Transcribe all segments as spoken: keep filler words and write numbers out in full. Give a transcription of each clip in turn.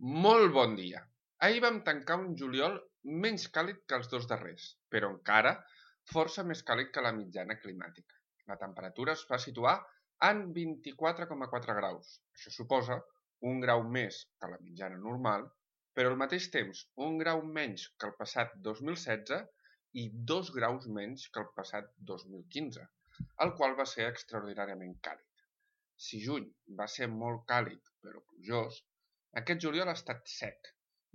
Molt bon dia! Ahir vam tancar un juliol menys càlid que els dos darrers, però encara força més càlid que la mitjana climàtica. La temperatura es va situar en vint-i-quatre coma quatre graus. Això suposa un grau més que la mitjana normal, però al mateix temps un grau menys que el passat dos mil setze i dos graus menys que el passat dos mil quinze, el qual va ser extraordinàriament càlid. Si juny va ser molt càlid però plujós, aquest juliol ha estat sec,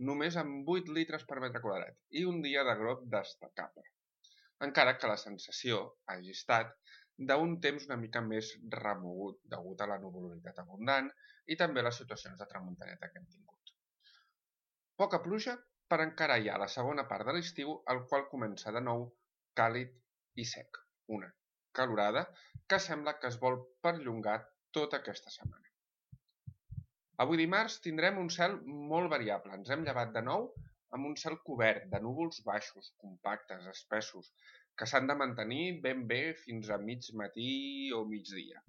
només amb vuit litres per metre quadrat i un dia de glop destacable, encara que la sensació hagi estat d'un temps una mica més remogut degut a la nuvolositat abundant i també les situacions de tramuntaneta que hem tingut. Poca pluja per encarar ja la segona part de l'estiu, el qual comença de nou càlid i sec, una calorada que sembla que es vol perllongar tota aquesta setmana. Avui dimarts tindrem un cel molt variable. Ens hem llevat de nou amb un cel cobert de núvols baixos, compactes, espessos, que s'han de mantenir ben bé fins a mig matí o migdia.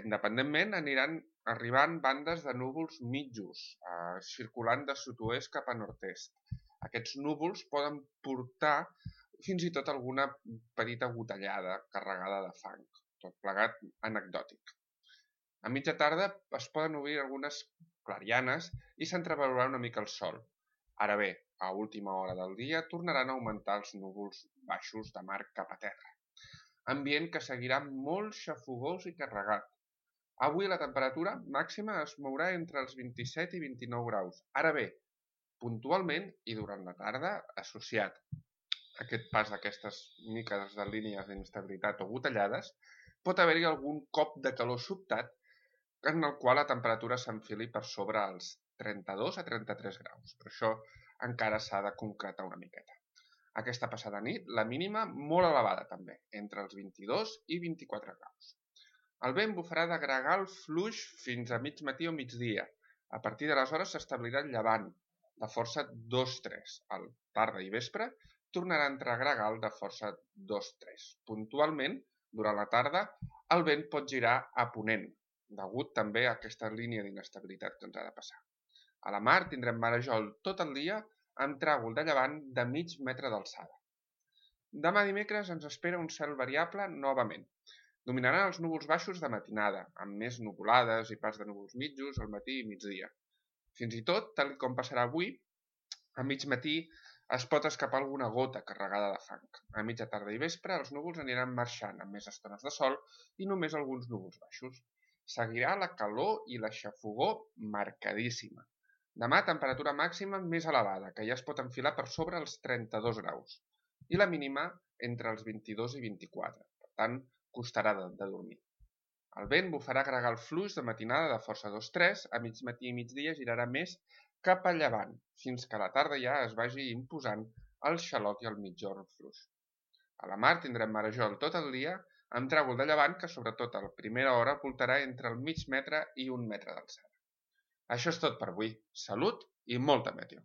Independentment, aniran arribant bandes de núvols mitjos, eh, circulant de sud-oest cap a nord-est. Aquests núvols poden portar fins i tot alguna petita gotellada carregada de fang, tot plegat anecdòtic. A mitja tarda es poden obrir algunes clarianes i s'entreveurà una mica el sol. Ara bé, a última hora del dia tornaran a augmentar els núvols baixos de mar cap a terra. Ambient que seguirà molt xafogós i carregat. Avui la temperatura màxima es mourà entre els vint-i-set i vint-i-nou graus. Ara bé, puntualment i durant la tarda, associat a aquest pas d'aquestes miques de línies d'inestabilitat o gotellades, pot haver-hi algun cop de calor sobtat en el qual la temperatura s'enfili per sobre els trenta-dos a trenta-tres graus, però això encara s'ha de concretar una miqueta. Aquesta passada nit, la mínima molt elevada també, entre els vint-i-dos i vint-i-quatre graus. El vent bufarà de gregal fluix fins a mig matí o migdia. A partir d'aleshores s'establirà el llevant, de força dos tres. Al tarda i vespre tornarà a entrar gregal de força dos tres. Puntualment, durant la tarda, el vent pot girar a ponent, degut també a aquesta línia d'inestabilitat que ens ha de passar. A la mar tindrem marejol tot el dia amb tràgol de llevant de mig metre d'alçada. Demà dimecres ens espera un cel variable novament. Dominaran els núvols baixos de matinada, amb més nuvolades i pas de núvols mitjos al matí i migdia. Fins i tot, tal com passarà avui, a mig matí es pot escapar alguna gota carregada de fang. A mitja tarda i vespre els núvols aniran marxant amb més estones de sol i només alguns núvols baixos. Seguirà la calor i la xafogor marcadíssima. Demà temperatura màxima més elevada, que ja es pot enfilar per sobre els trenta-dos graus, i la mínima entre els vint-i-dos i vint-i-quatre, per tant, costarà de, de dormir. El vent bufarà gregal fluix de matinada de força dos tres, a mig matí i migdia girarà més cap a llevant, fins que a la tarda ja es vagi imposant el xaloc i el migjorn fluix. A la mar tindrem marejol tot el dia, amb tràgol de llevant que sobretot a la primera hora voltarà entre el mig metre i un metre d'alçada. Això és tot per avui. Salut i molta meteo!